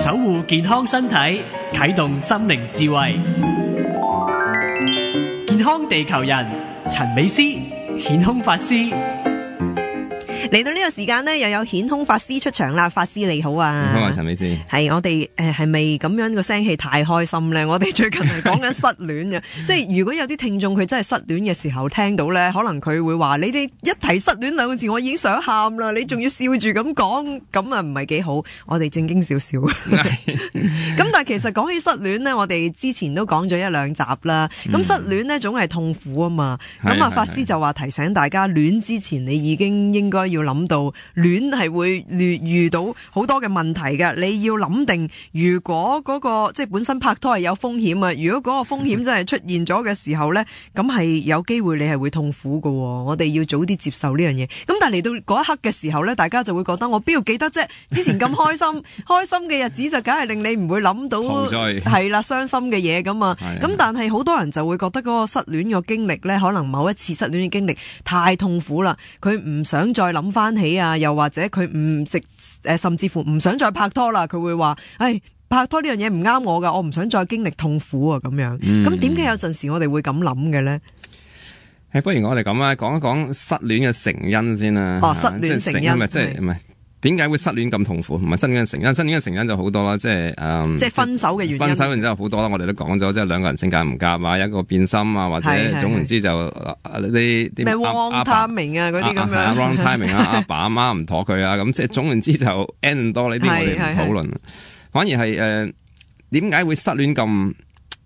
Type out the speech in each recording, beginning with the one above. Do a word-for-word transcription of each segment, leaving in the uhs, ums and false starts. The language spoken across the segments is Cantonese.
守護健康身體，啟動心靈智慧。健康地球人陳美詩顯空法師嚟到呢個時間呢，又有顯空法師出場啦。法師你好啊，好啊，陳美詩。係我哋誒係咪咁樣個聲氣太開心呢？我哋最近係講緊失戀嘅，即係如果有啲聽眾佢真係失戀嘅時候聽到呢，可能佢會話：你哋一提失戀兩個字，我已經想喊啦，你仲要笑住咁講，咁啊唔係幾好。我哋正經少少。咁但係其實講起失戀呢，我哋之前都講咗一兩集啦。咁、嗯、失戀呢總係痛苦啊嘛。咁啊，法師就話提醒大家，戀之前你已經應該要諗到戀係會遇到好多嘅問題嘅，你要諗定，如果嗰、那個即係本身拍拖係有風險啊，如果嗰個風險真係出現咗嘅時候呢，咁係有機會你係會痛苦嘅。我哋要早啲接受呢樣嘢。咁但係嚟到嗰一刻嘅時候呢，大家就會覺得我邊度記得啫？之前咁開心，開心嘅日子就梗係令你唔會諗到係啦傷心嘅嘢咁啊。咁但係好多人就會覺得嗰個失戀嘅經歷呢，可能某一次失戀嘅經歷太痛苦啦，佢唔想再諗翻起啊，又或者佢唔食誒，甚至乎唔想再拍拖啦。佢會話：唉，拍拖呢樣嘢唔啱我噶，我唔想再經歷痛苦啊。咁樣，咁點解有陣時我哋會咁諗嘅咧？誒，不如我哋咁啊，講一講失戀嘅成因先啦。哦，失戀成因，咪即係唔係？點解會失戀咁痛苦？唔係失戀嘅成因，失戀嘅成因就好多啦，即係誒，嗯、即係分手嘅原因。分手然之後好多啦，我哋都講咗，即係兩個人性格唔夾啊，一個變心啊，或者總言之就啲啲咩 wrong timing 啊嗰啲咁樣 wrong timing 啊，阿爸阿媽唔妥佢啊，咁即係總言之就 end 多呢啲我哋唔討論，反而係誒點解會失戀咁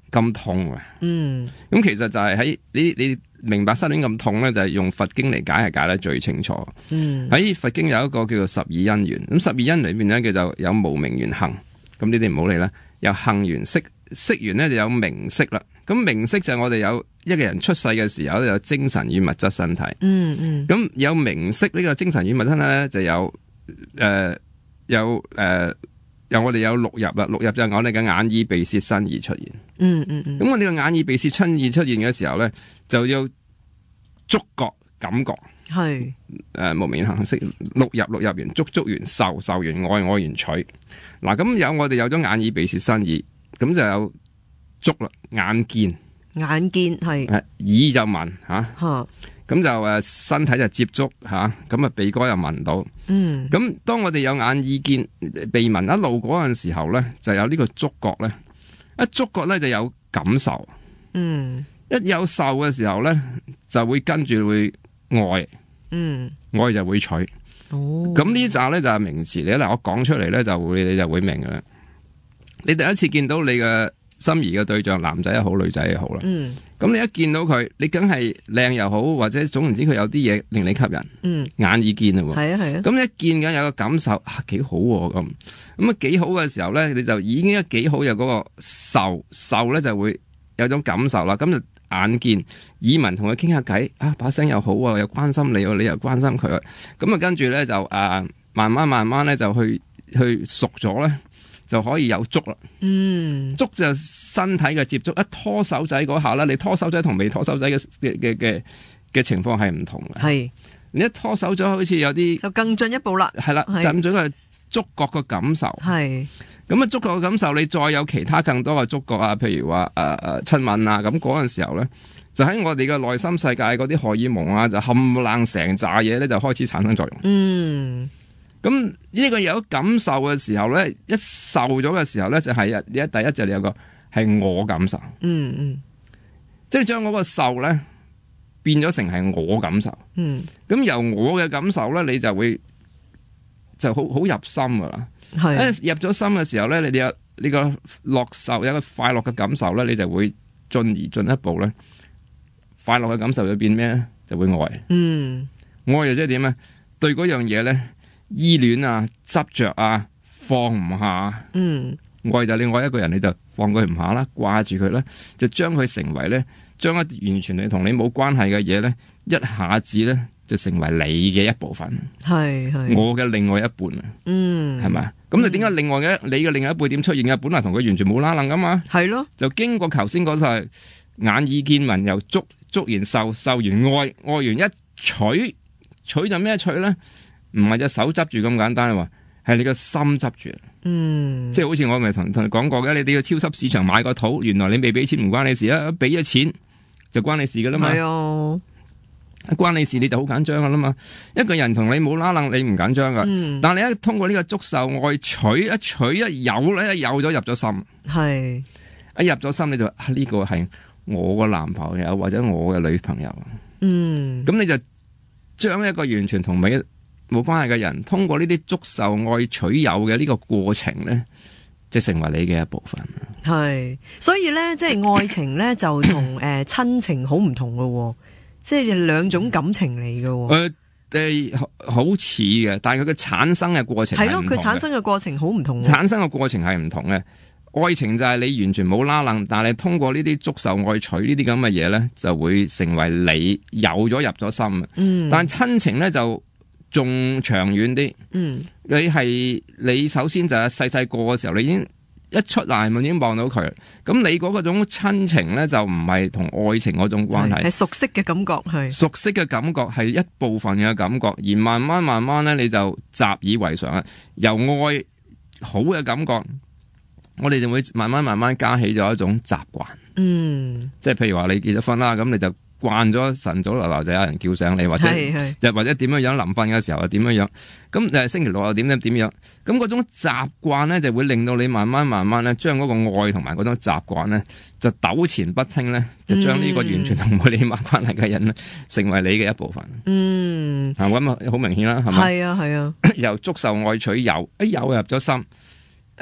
咁痛啊？嗯，咁其實就係喺你你明白失戀咁痛咧，就係用佛經嚟解係解得最清楚。嗯，喺佛經有一個叫做十二因緣，咁十二因裏邊咧叫做有無明緣行，咁呢啲唔好理啦。有行緣識，識緣咧就有名色啦。咁名色就係我哋有一個人出世嘅時候有精神與物質身體。嗯嗯，咁有名色呢個精神與物質身體咧就有誒、呃、有誒。呃由我哋有六入啦，六入就係我哋嘅眼耳鼻舌身意出現。嗯嗯嗯。咁我哋嘅眼耳鼻舌身意出現嘅時候咧，就要觸覺感覺。係。誒、呃，無明行識六入，六入完觸，觸完受，受完愛，愛完取。嗱，咁有我哋有咗眼耳鼻舌身意，咁就有觸啦，眼見。眼見係。誒，耳就聞吓。吓。咁就誒身體就接觸吓，咁啊鼻哥又聞到，嗯，咁當我哋有眼耳見鼻聞一路嗰陣時候咧，就有呢個觸覺咧，一觸覺咧就有感受，嗯，一有受嘅時候咧，就會跟住會愛，嗯，愛就會取，哦，咁呢集咧就係名詞嚟，嗱我講出嚟咧就會你就會明噶啦，你第一次見到你嘅心儀嘅對象，男仔又好，女仔又好啦。嗯，咁你一見到佢，你梗係靚又好，或者總言之佢有啲嘢令你吸引。嗯，眼耳見啊，係啊係啊。咁一見緊有個感受啊，幾好咁。咁啊幾好嘅時候咧，你就已經一幾好有嗰個受受咧就會有種感受啦。咁就眼見耳聞同佢傾下偈啊，把聲又好啊，又關心你，你又關心佢。咁啊跟住咧就誒、啊、慢慢慢慢咧就去去熟咗咧。就可以有觸啦，嗯，觸就身體嘅接觸，一拖手仔嗰下咧，你拖手仔同未拖手仔嘅嘅嘅嘅情況係唔同嘅，係你一拖手仔好似有啲就更進一步啦，係啦，更進嘅觸覺嘅感受，係咁啊，觸覺嘅感受，你再有其他更多嘅觸覺啊，譬如話誒誒親吻啊，咁嗰陣時候咧，就喺我哋嘅內心世界嗰啲荷爾蒙啊，就冚唪唥成扎嘢咧，就開始產生作用，嗯。咁呢個有感受嘅時候咧，一受咗嘅時候咧，就係一第一就有個係我感受，嗯嗯，即係將嗰個受咧變咗成係我感受，嗯，咁由我嘅感受咧，你就會就好好入心噶啦，係一入咗心嘅時候咧，你哋有呢個樂受，有一個快樂嘅感受咧，你就會進而進一步咧，快樂嘅感受就變咩咧？就會愛，嗯，愛又即係點咧？對嗰樣嘢咧。依戀啊，執着啊，放唔下。嗯，愛就你愛一個人，你就放佢唔下啦，掛住佢啦，就將佢成為咧，將一完全你同你冇關係嘅嘢咧，一下子咧就成為你嘅一部分。係係，我嘅另外一半啊。嗯，係咪？咁你點解另外嘅你嘅另外一半點出現嘅？本來同佢完全冇拉楞噶嘛。係咯，就經過頭先嗰就係眼耳見聞，由觸觸完受，受完愛，愛完一取，取就咩取咧？唔係隻手執住咁簡單，話係你個心執住。嗯，即係好似我咪同同你講過嘅，你哋去超級市場買個肚，原來你未俾錢唔關你事啊，俾咗錢就關你事噶啦嘛。係啊，關你事你就好緊張噶啦嘛。一個人同你冇拉楞，你唔緊張噶。嗯、但係你一通過呢個觸受愛取一取一有咧，一有咗入咗心，係一入咗心你就呢、啊呢個係我個男朋友或者我嘅女朋友。嗯，咁你就將一個完全同你冇關係嘅人，通過呢啲觸受愛取有嘅呢個過程咧，即係成為你嘅一部分。係，所以咧，即係愛情咧，就同誒親情好唔同噶，即係兩種感情嚟噶。誒誒、呃呃，好似嘅，但係佢嘅產生嘅過程係係咯，佢產生嘅過程好唔同。產生嘅過程係唔同嘅。愛情就係你完全冇拉楞，但係通過呢啲觸受愛取呢啲咁嘅嘢咧，就會成為你有咗入咗心。嗯，但係親情咧就仲長遠啲。嗯，你係你首先就係細細個嘅時候，你已經一出嚟咪已經望到佢。咁你嗰個種親情咧就唔係同愛情嗰種關係，係熟悉嘅感覺，係熟悉嘅感覺係一部分嘅感覺，而慢慢慢慢咧你就習以為常啊。由愛好嘅感覺，我哋就會慢慢慢慢加起咗一種習慣。嗯，即係譬如話你結咗婚啦，咁你就慣咗晨早流流就有人叫醒你，或者又或者點樣樣臨瞓嘅時候又點樣樣，咁誒星期六又點點點樣，咁嗰種習慣咧就會令到你慢慢慢慢咧將嗰個愛同埋嗰種習慣咧就糾纏不清咧，就將呢個完全同冇你冇關係嘅人咧成為你嘅一部分。嗯，係咁啊，好明顯啦，係咪？係啊係啊，由觸受愛取有，一有入咗心，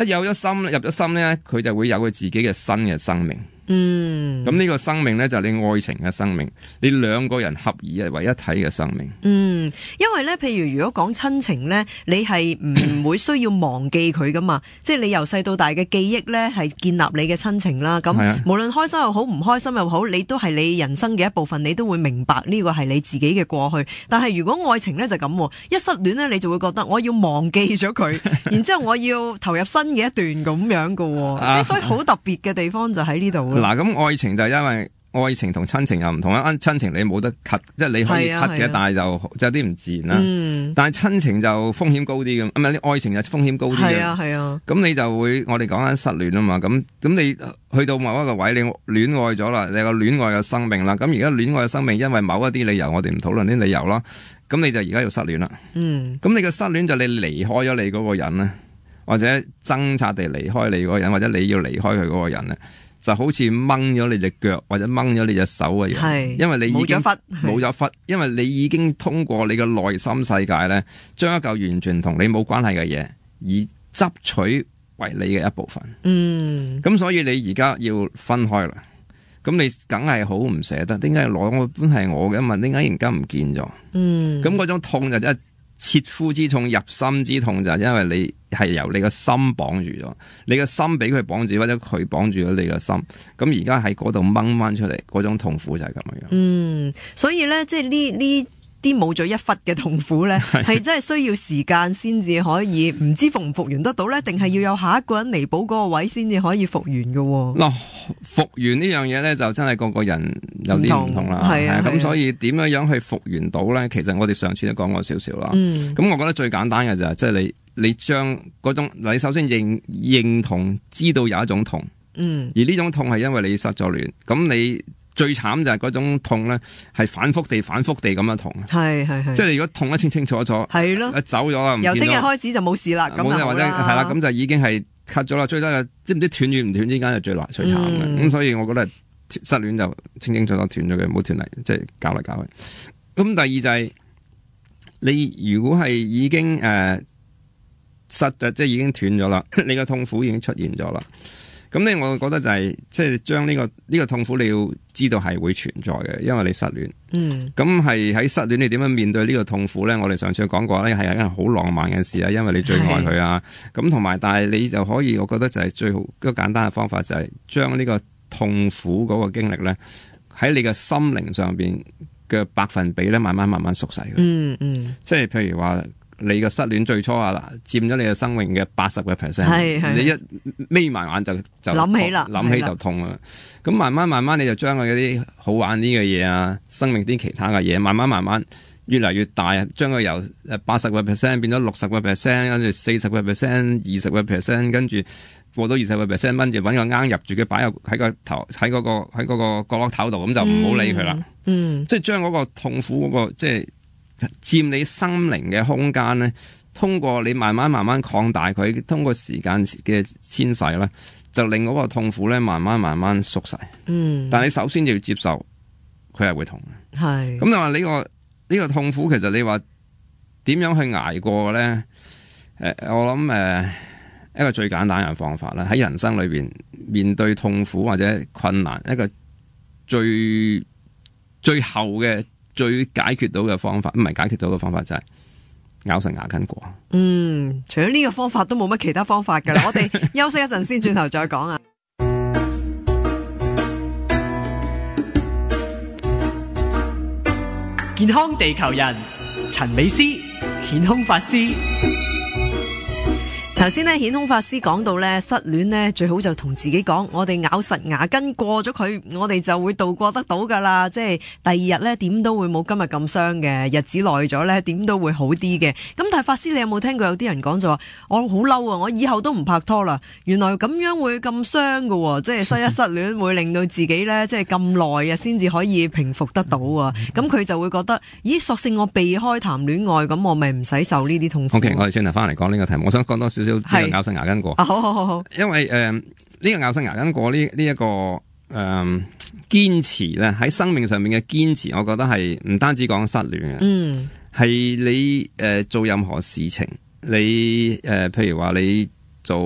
一有咗心入咗心咧，佢就會有佢自己嘅新嘅生命。嗯，咁呢個生命咧就係你愛情嘅生命，你兩個人合而為一體嘅生命。嗯，因為咧，譬如如果講親情咧，你係唔會需要忘記佢噶嘛，即係你由細到大嘅記憶咧係建立你嘅親情啦。咁無論開心又好，唔開心又好，你都係你人生嘅一部分，你都會明白呢個係你自己嘅過去。但係如果愛情咧就咁，一失戀咧你就會覺得我要忘記咗佢，然之後我要投入新嘅一段咁樣噶，即係所以好特別嘅地方就喺呢度。嗱，咁愛情就係因為愛情同親情又唔同啦，親情你冇得 cut， 即係你可以 cut 嘅，啊啊、但係就就有啲唔自然啦。嗯、但係親情就風險高啲嘅，唔係，愛情就風險高啲嘅。係啊係啊。咁你就會，我哋講緊失戀啊嘛，咁咁你去到某一個位，你戀愛咗啦，你有個戀愛嘅生命啦。咁而家戀愛嘅生命，因為某一啲理由，我哋唔討論啲理由啦。咁你就而家要失戀啦。嗯。咁你嘅失戀就你離開咗你嗰個人咧，或者掙扎地離開你嗰個人，或者你要離開佢嗰個人咧。就好似掹咗你隻腳或者掹咗你隻手嘅樣，因為你已經冇咗忽，冇咗忽，因為你已經通過你嘅內心世界咧，將一嚿完全同你冇關係嘅嘢，以執取為你嘅一部分。嗯，咁所以你而家要分開啦，咁你梗係好唔捨得，點解攞我本係我嘅嘛？點解而家唔見咗？嗯，咁嗰種痛就真係切膚之痛、入心之痛，就係因為你係由你個心綁住咗，你個心俾佢綁住，或者佢綁住咗你個心，咁而家喺嗰度掹翻出嚟，嗰種痛苦就係咁樣。嗯，所以咧，即係呢呢啲冇咗一忽嘅痛苦咧，係真係需要時間先至可以，唔知復唔復原得到咧，定係要有下一個人彌補嗰個位先至可以復原嘅。嗱、哦，復原呢樣嘢咧，就真係個個人有啲唔同啦。係啊，咁所以點樣樣去復原到咧？其實我哋上次都講過少少啦。嗯，咁我覺得最簡單嘅就係，即係你你將嗰種，你首先認認同，知道有一種痛。嗯，而呢種痛係因為你失咗戀，咁你。最慘就係嗰種痛咧，係反覆地、反覆地咁樣痛。係係係，即係你如果痛得清清楚楚，係咯，走咗啦，由聽日開始就冇事啦。咁就或者係啦，咁就已經係 cut 咗啦。最多係知唔知斷與唔斷之間就最難最慘嘅。咁、嗯、所以我覺得失戀就清清楚楚斷咗嘅，唔好斷嚟，即係搞嚟搞去。咁第二就係、是、你如果係已經誒、呃、失咗，即係已經斷咗啦，你個痛苦已經出現咗啦。咁咧，我覺得就係即係將呢個呢、呢個痛苦，你要知道係會存在嘅，因為你失戀。嗯。咁係喺失戀，你點樣面對呢個痛苦咧？我哋上次講過咧，係一件好浪漫嘅事啊，因為你最愛佢啊。咁同埋，但係你就可以，我覺得就係最好一個簡單嘅方法，就係將呢個痛苦嗰個經歷咧，喺你嘅心靈上邊嘅百分比咧，慢慢慢慢縮細嘅。嗯嗯。即係譬如話。你個失戀最初啊，佔咗你嘅生命嘅八十個 percent，你一眯埋眼就就諗起啦，諗起就痛啦。咁慢慢慢慢，你就將佢嗰啲好玩啲嘅嘢啊，生命啲其他嘅嘢，慢慢慢慢越嚟越大，將佢由誒八十個 percent 變咗六十個 percent， 跟住四十個 percent、二十個 percent， 跟住過到二十個 percent， 跟住揾個罌入住佢，擺入喺個頭喺嗰個喺嗰個角落頭度，咁就唔好理佢啦。嗯，即係將嗰個痛苦嗰、嗰個即係佔你心靈嘅空間咧，通過你慢慢慢慢擴大佢，通過時間嘅遷徙咧，就令嗰個痛苦咧慢慢慢慢縮細。嗯，但係你首先要接受佢係會痛嘅。係咁，你話呢個。呢個痛苦其實你話點樣去捱過咧？誒、呃，我諗誒、呃、一個最簡單嘅方法啦，喺人生裏邊面對痛苦或者困難，一個最最後嘅最解決到嘅方法，唔係解決到嘅方法就係咬實牙根過。嗯，除咗呢個方法都冇乜其他方法噶啦。我哋休息一陣先，轉頭再講啊。健康地球人陳美詩顯空法師。頭先咧，顯空法師講到咧，失戀咧最好就同自己講，我哋咬實牙根過咗佢，我哋就會度過得到噶啦。即係第二日咧，點都會冇今日咁傷嘅，日子耐咗咧，點都會好啲嘅。咁但係法師，你有冇聽過有啲人講就話，我好嬲啊，我以後都唔拍拖啦。原來咁樣會咁傷噶，即係失一失戀會令到自己咧，即係咁耐啊，先至可以平復得到啊。咁佢就會覺得，咦，索性我避開談戀愛，咁我咪唔使受呢啲痛苦。OK， 我哋轉頭翻嚟講呢個題目，我想講多少少。係咬實牙根過，啊、好好好好，因為誒呢、呃這個咬實牙根過呢呢一個誒堅、呃、持咧，喺生命上面嘅堅持，我覺得係唔單止講失戀嘅，嗯，係你誒、呃、做任何事情，你誒、呃、譬如話你做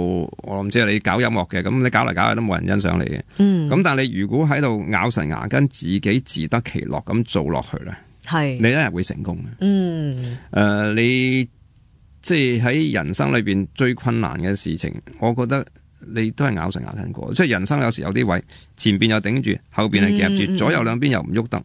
我唔知你搞音樂嘅，咁你搞嚟搞去都冇人欣賞你嘅，嗯，咁但係你如果喺度咬實牙根，自己自得其樂咁做落去咧，係你一日會成功嘅，嗯，誒、呃、你。即係喺人生裏邊最困難嘅事情，我覺得你都係咬實牙根過。即係人生有時有啲位，前邊又頂住，後邊係夾住，嗯、左右兩邊又唔喐得，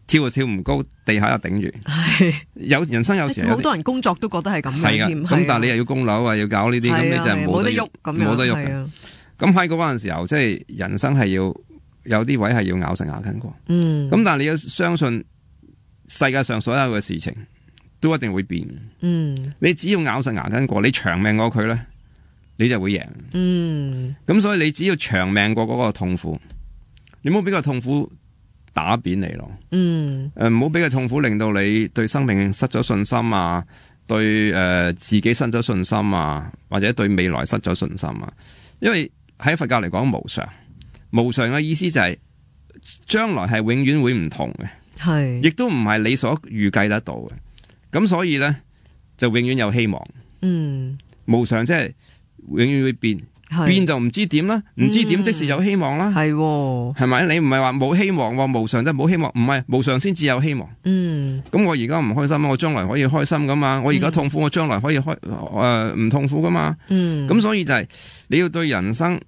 跳又跳唔高，地下又頂住。係有人生有時好多人工作都覺得係咁樣添。咁但係你又要供樓啊，要搞呢啲，咁你就係冇得喐，冇得喐嘅。咁喺嗰陣時候，即係人生係要有啲位係要咬實牙根過。嗯。咁但係你要相信世界上所有嘅事情。都一定會變，嗯，你只要咬實牙根過，你長命過佢咧，你就會贏，嗯，咁所以你只要長命過嗰個痛苦，你唔好俾個痛苦打扁你咯，嗯，誒唔好俾個痛苦令到你對生命失咗信心啊，對誒、呃、自己失咗信心啊，或者對未來失咗信心啊，因為喺佛教嚟講無常，無常嘅意思就係、是、將來係永遠會唔同嘅，係，亦都唔係你所預計得到嘅。咁所以咧就永遠有希望，嗯，無常即係永遠會變，變就唔知點啦，唔知點即是有希望啦，係、嗯，係咪？你唔係話冇希望，無常即係冇希望，唔係無常先至有希望，嗯。咁我而家唔開心，我將來可以開心噶嘛？我而家痛苦，我將來可以開誒唔痛苦噶嘛？嗯。咁所以就係、是、你要對人生，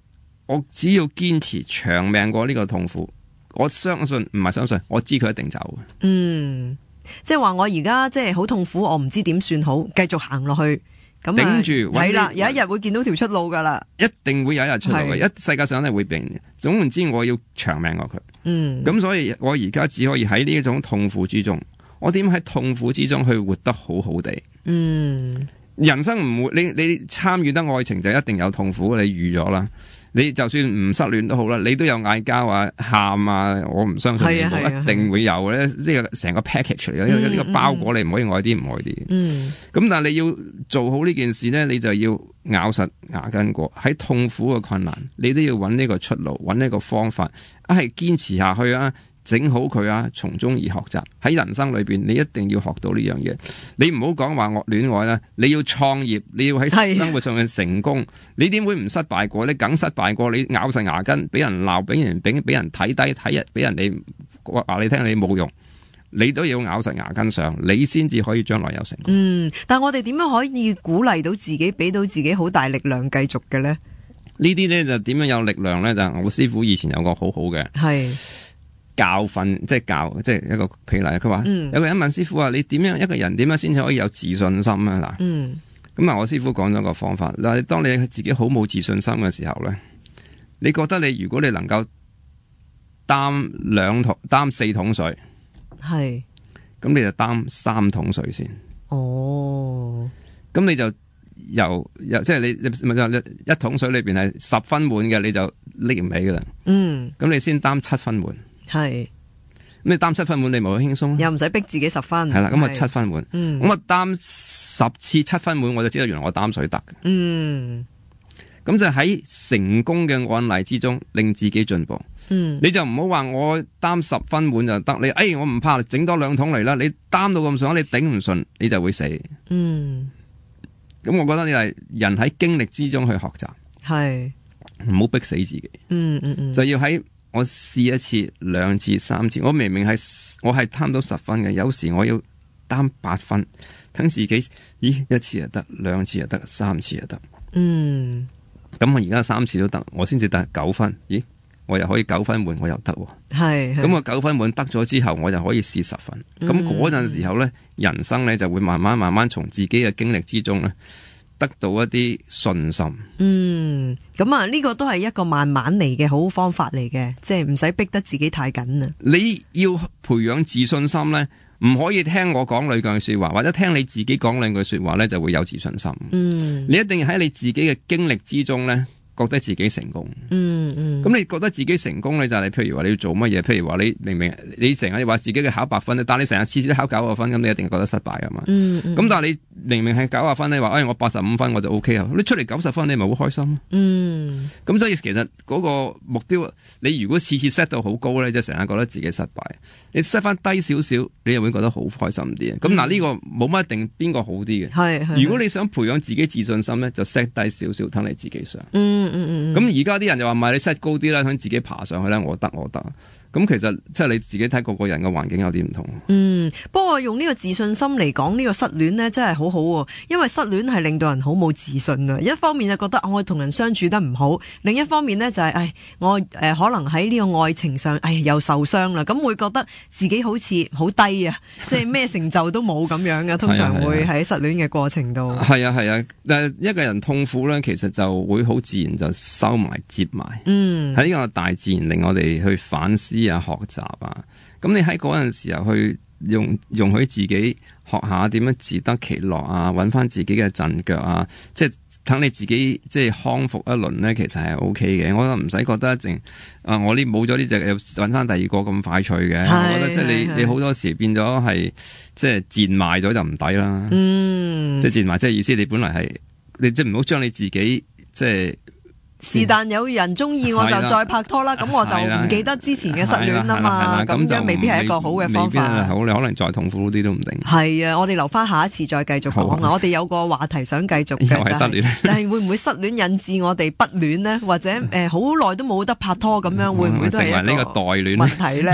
我只要堅持長命過呢個痛苦，我相信唔係相信，我知佢一定走嘅，嗯。即係話我而家即係好痛苦，我唔知點算好，繼續行落去，咁頂住係啦，有一日會見到條出路噶啦，一定會有一日出路嘅，一世界上係會變嘅。總言之，我要長命過佢，嗯，咁所以我而家只可以喺呢一種痛苦之中，我點喺痛苦之中去活得好好地，嗯，人生唔會，你你參與得愛情就一定有痛苦，你預咗啦。你就算唔失戀都好啦，你都有嗌交啊、喊啊，我唔相信你一定會有咧。呢個成個 package 嚟嘅，呢、嗯、個包裹你唔可以愛啲唔愛啲。嗯，咁但係你要做好呢件事咧，你就要咬實牙根過。喺痛苦嘅困難，你都要揾呢個出路，揾呢個方法，一係堅持下去啊！整好佢啊，從中而學習。喺人生裏邊，你一定要學到呢樣嘢。你唔好講話惡戀愛啦，你要創業，你要喺生活上面成功，你點會唔失敗過？你梗失敗過，你咬實牙根，俾人鬧，俾人俾俾人睇低，睇人俾人哋話你聽你冇用，你都要咬實牙根上，你先至可以將來有成功。嗯，但係我哋點樣可以鼓勵到自己，俾到自己好大力量繼續嘅咧？呢啲咧就點樣有力量咧？就我師傅以前有個好好嘅係。教訓即係教，即係一個譬如嚟，佢話、嗯、有個人問師傅話：你點樣一個人點樣先至可以有自信心啊？嗱，咁、嗯、嗱，我師傅講咗個方法。嗱，當你自己好冇自信心嘅時候咧，你覺得你如果你能夠擔兩桶擔四桶水，係咁你就擔三桶水先。哦，咁你就由由即係你咪就一桶水裏邊係十分滿嘅，你就拎唔起噶啦。嗯，咁你先擔七分滿。係。咁你擔七分滿，你咪好輕鬆，又唔使逼自己十分。係啦，咁啊七分滿。嗯，咁我擔十次七分滿，我就知道原來我擔水得嘅。嗯，咁就喺成功嘅案例之中，令自己進步。嗯，你就唔好話我擔十分滿就得，你誒、哎、我唔怕，整多兩桶嚟啦。你擔到咁上，你頂唔順，你就會死。嗯，咁我覺得你係人喺經歷之中去學習，係唔好逼死自己。嗯嗯嗯，就要喺。我試一次、兩次、三次，我明明係我係貪到十分嘅，有時我要擔八分，等自己，咦，一次就得，兩次就得，三次就得。嗯，咁我而家三次都得，我先至得九分，咦，我又可以九分滿，我又得。係，咁我九分滿得咗之後，我就可以試十分。咁嗰陣時候咧，人生咧就會慢慢慢慢從自己嘅經歷之中咧。得到一啲信心。嗯，咁啊，呢個都係一個慢慢嚟嘅好方法嚟嘅，即係唔使逼得自己太緊啊。你要培養自信心咧，唔可以聽我講兩句說話，或者聽你自己講兩句說話咧，就會有自信心。嗯，你一定要喺你自己嘅經歷之中咧，覺得自己成功。嗯嗯，咁你覺得自己成功咧，就係你譬如話你要做乜嘢？譬如話你明明你成日話自己嘅考百分，但係你成日次次都考九十分，咁你一定係覺得失敗噶嘛。嗯嗯，咁但係你明明係九十分，你話誒我八十五分我就 O K 啊，你出嚟九十分你咪好開心咯。嗯，咁所以其實嗰個目標，你如果次次 set 到好高咧，即係成日覺得自己失敗，你 set 翻低少少，你又會覺得好開心啲。咁嗱呢個冇乜一定邊個好啲嘅。係係。如果你想培養自己自信心咧，就 set 低少少，等你自己上。嗯嗯嗯。咁而家啲人就話唔係你 set 高啲啦，想自己爬上去咧，我得我得。咁其實即係你自己睇個個人嘅環境有啲唔同。嗯，不過用呢個自信心嚟講呢個失戀呢，真係好好喎，因為失戀係令到人好冇自信啊。一方面就覺得我同人相處得唔好，另一方面呢就係、是、誒我誒、呃、可能喺呢個愛情上誒又受傷啦，咁會覺得自己好似好低啊，即係咩成就都冇咁樣嘅。通常會喺失戀嘅過程度。係啊係啊，但係一個人痛苦咧，其實就會好自然就收埋接埋。嗯，喺呢個大自然令我哋去反思啊，學習啊，咁你喺嗰陣時候去用容許自己學下點樣自得其樂啊，揾翻自己嘅陣腳啊，即係等你自己即係康復一輪咧，其實係 O K 嘅。我覺得唔使覺得一定啊，我呢冇咗呢隻又揾翻第二個咁快脆嘅。我覺得即係你你好多時變咗係即係賤賣咗就唔抵啦。嗯，即係賤賣即係意思，你本來係你即係唔好將你自己即係。是但有人中意我就再拍拖啦，咁我就唔記得之前嘅失戀啊嘛，咁樣未必係一個好嘅方法。好，你可能再痛苦啲都唔定。係啊，我哋留翻下一次再繼續講啊。我哋有個話題想繼續嘅就係、是，但係會唔會失戀引致我哋不戀呢？或者誒好耐都冇得拍拖咁樣，會唔會都係一個問題咧？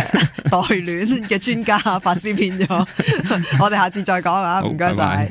代戀嘅專家法師變咗，我哋下次再講啊，唔該晒。